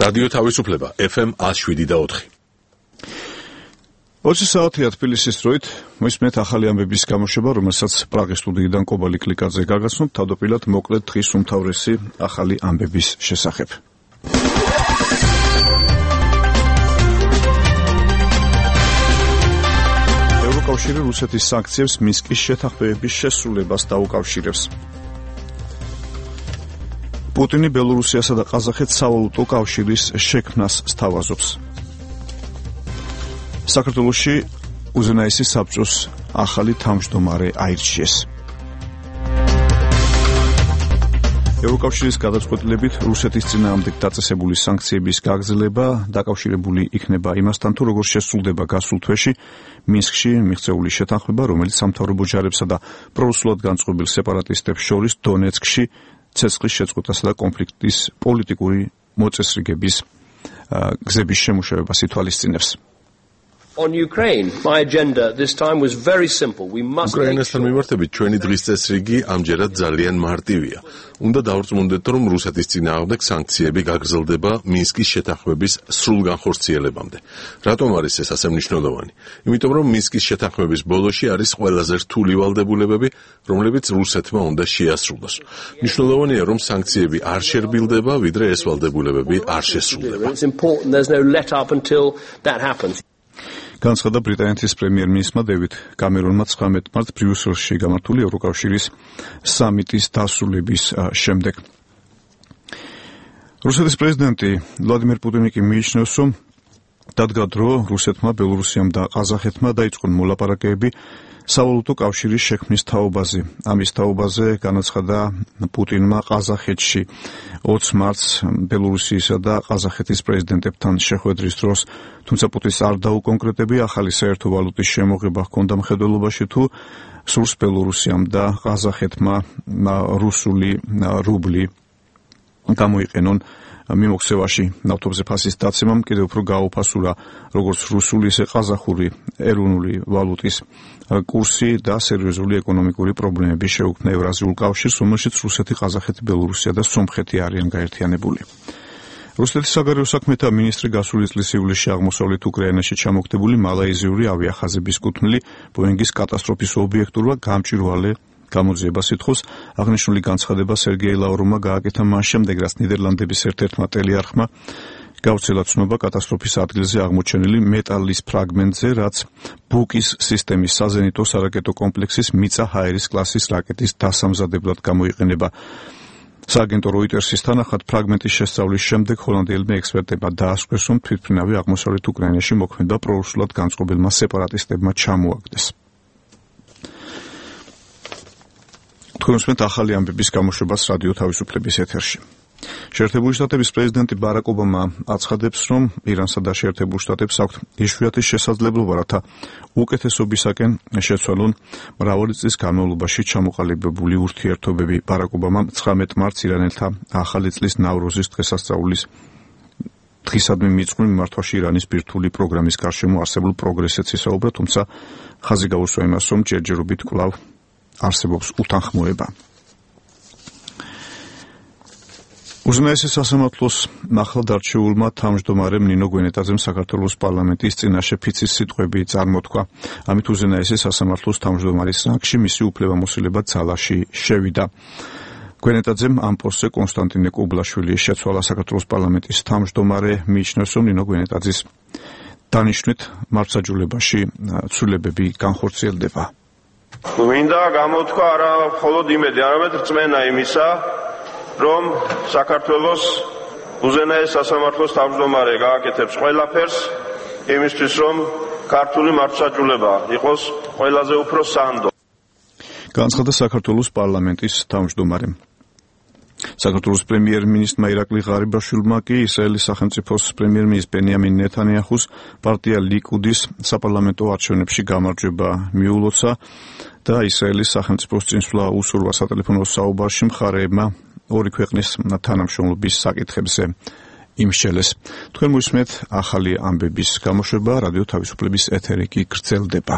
რადიო თავისუფლება FM 107.4. 20 საათია თბილისის დროით მოისმენთ ახალი ამბების გამოშვება, რომელსაც პრაღის სტუდიიდან კობალი კლიკაძე გაგაცნობთ თავდაპირველად მოკლედ დღის უმთავრესი ახალი ამბების შესახებ. ევროკავშირი რუსეთის სანქციებს მინსკის შეთანხმებების შესრულებას დაუკავშირებს. პუტინი ბელორუსიასა და ყაზახეთს სავალუტო კავშირის შექმნას სთავაზობს. საქართველოში უზენაესი საბჭოს ახალი თავმჯდომარე აირჩიეს. ევროკავშირის გადაწყვეტილებით რუსეთის წინააღმდეგ დაწესებული სანქციების გაგრძელება დაკავშირებული იქნება იმასთან, თუ როგორ შესრულდება გასულ თვეში მინსკში მიღწეული შეთანხმება, რომელიც სამთავრობო ჯარებსა და პრორუსულად განწყობილ სეპარატისტებს შორის დონეცკში ცეცხლის შეწყვეტასა და კონფლიქტის პოლიტიკური მოწესრიგების გზების შემუშავებას ითვალისწინებს. On Ukraine, my agenda this time was very simple. We must უკრაინასთან მიმართებით ჩვენი დღის წესრიგი ამჯერად ძალიან მარტივია. უნდა დავრწმუნდეთ, რომ რუსეთის წინააღმდეგ სანქციები გაგრძელდება მინსკის შეთანხმების სრულ განხორციელებამდე. რატომ არის ეს ასე მნიშვნელოვანი? იმიტომ რომ მინსკის შეთანხმების ბოლოში არის ყველაზე რთული ვალდებულებები, რომლებიც რუსეთმა უნდა შეასრულოს. მნიშვნელოვანია, რომ სანქციები არ შერბილდება, ვიდრე ეს ვალდებულებები არ შესრულდება. It's important there's no let up until that happens. განცხადა ბრიტანეთის პრემიერ-მინისტრმა დევიდ კამერონმა 19 მარტს ბრიუსელში გამართული ევროკავშირის სამიტის დასრულების შემდეგ. რუსეთის პრეზიდენტი ვლადიმერ პუტინი კი მიიჩნევს, რომ დადგა დრო რუსეთმა, ბელორუსიამ და ყაზახეთმა დაიწყონ მოლაპარაკებები სავალუტო კავშირის შექმნის თაობაზე. ამის თაობაზე განაცხადა პუტინმა ყაზახეთში 20 მარტს ბელორუსიისა და ყაზახეთის პრეზიდენტებთან შეხვედრის დროს, თუმცა პუტინს არ დაუკონკრეტებია ახალი საერთო ვალუტის შემოღება ჰქონდა მხედველობაში თუ სურს ბელორუსიამ და ყაზახეთმა რუსული რუბლი გამოიყენონ მიმოქცევაში. ნავთობზე ფასის დაცემამ კიდევ უფრო გააუფასურა როგორც რუსული, ისე ყაზახური ეროვნული ვალუტის კურსი და სერიოზული ეკონომიკური პრობლემები შეუქმნა ევრაზიულ კავშირს, რომელშიც რუსეთი, ყაზახეთი, ბელორუსია და სომხეთი არიან გაერთიანებული. რუსეთის საგარეო საქმეთა მინისტრი გასული წლის ივლისში აღმოსავლეთ უკრაინაში ჩამოგდებული მალაიზიური ავიახაზების კუთვნილი ბოინგის კატასტროფის ობიექტურმა გამჭვირვალე გამოძიებას ითხოვს. აღნიშნული განცხადება სერგეი ლავროვმა გააკეთა მას შემდეგ, რაც ნიდერლანდების ერთ-ერთმა ტელეარხმა გავრცელა ცნობა კატასტროფის ადგილზე აღმოჩენილი მეტალის ფრაგმენტზე, რაც ბუკის სისტემის საზენიტო სარაკეტო კომპლექსის მიწა ჰაერის კლასის რაკეტის დასამზადებლად გამოიყენება. სააგენტო როიტერსის თანახმად ფრაგმენტის შესწავლის შემდეგ ჰოლანდიელმა ექსპერტებმა დაასკვეს, რომ თვითმფრინავი აღმოსავლეთ უკრაინაში მოქმედება პრორუსულად განწყობილმა სეპარატისტებმა ჩამოაგდეს. თქვენ უსმენთ ახალი ამბების გამოშვებას რადიო თავისუფლების ეთერში. შეერთებული შტატების პრეზიდენტი ბარაკ ობამა აცხადებს, რომ ირანსა და შეერთებულ შტატებს აქვთ იშვიათი შესაძლებლობა, რათა უკეთესობისაკენ შეცვალონ მრავალი წლის განმავლობაში ჩამოყალიბებული ურთიერთობები. ბარაკ ობამამ 19 მარტს ირანელთა ახალი წლის ნავროზის დღესასწაულის დღისადმი მიწყვნილ მიმართვაში ირანის ბირთვული პროგრამის გარშემო არსებულ პროგრესებს ისაუბრა, თუმცა ხაზი გაუსვა იმას, რომ ჯერჯერობით კვლავ არსებობს უთანხმოება. უზენაესი სასამართლოს ახლადარჩეულმა თავმჯდომარემ ნინო გვენეტაძემ საქართველოს პარლამენტის წინაშე ფიცის სიტყვები წარმოთქვა. ამით უზენაესი სასამართლოს თავმჯდომარის რანგში მისი უფლებამოსილება ძალაში შევიდა. გვენეტაძემ ამ პოსტზე კონსტანტინე კუბლაშვილი შეცვალა. საქართველოს პარლამენტის თავმჯდომარე მიიჩნევს, რომ ნინო გვენეტაძის დანიშვნით მართლმსაჯულებაში ცვლილებები განხორციელდება. მინდა გამოთქვა არა მხოლოდ იმედი, არამედ რწმენა იმისა, რომ საქართველოს უზენაეს სასამართლოს თავმჯდომარე გააკეთებს ყველაფერს იმისთვის, რომ ქართული მართლმსაჯულება იყოს ყველაზე უფრო სანდო. განცხადა საქართველოს პარლამენტის თავმჯდომარემ. საქართველოს პრემიერ-მინისტრმა ირაკლი ღარიბაშვილმა კი ისრაელის სახელმწიფოს პრემიერ-მინისტრ ბენიამინ ნეთანიაჰუს პარტია ლიკუდის საპარლამენტო არჩევნებში გამარჯვება მიულოცა და ისრაელის სახელმწიფოს წინსვლა უსურვა სატელეფონო საუბარში მხარეებმა ორი ქვეყნის თანამშრომლობის საკითხებზე იმსჯელეს. თქვენ მოისმენთ ახალი ამბების გამოშვება, რადიო თავისუფლების ეთერი კი გრძელდება.